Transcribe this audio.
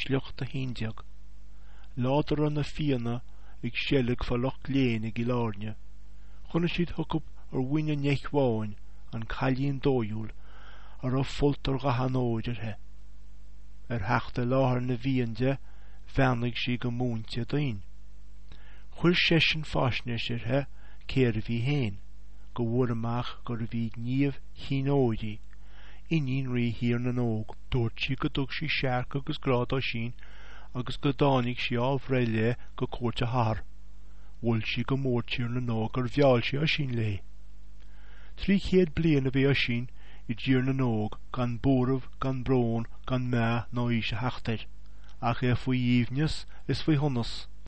Sliocht 11. Lá dá raibh na Fianna ag seilg fá Loch Léin i gCill Airne, chonaic siad chucu ar mhuin an Eich Bháin an cailín dóighiúil a raibh folt ar dhath an óir uirthi. Ar theacht i láthair na bhFiann di, bheannaigh sí go múinte doinn. Chuir seisean faisnéis uirthi cérbh í féin, go bhfuair amach gurbh í Niamh Chinn Óir í, iníon rí Thír na nÓg. Dúirt sí go dtug sí searc agus grá d'Oisín agus go dtáinig sí á bhreith léi go cúirt a hathar. Mhol sí go mór Tír na nÓg gur mheall sí Oisín léi. 300 bliain a bhí Oisín i dTír na nÓg gan buaireamh, gan brón, gan meath ná aois a theacht air, ach é faoi aoibhneas is faoi shonas.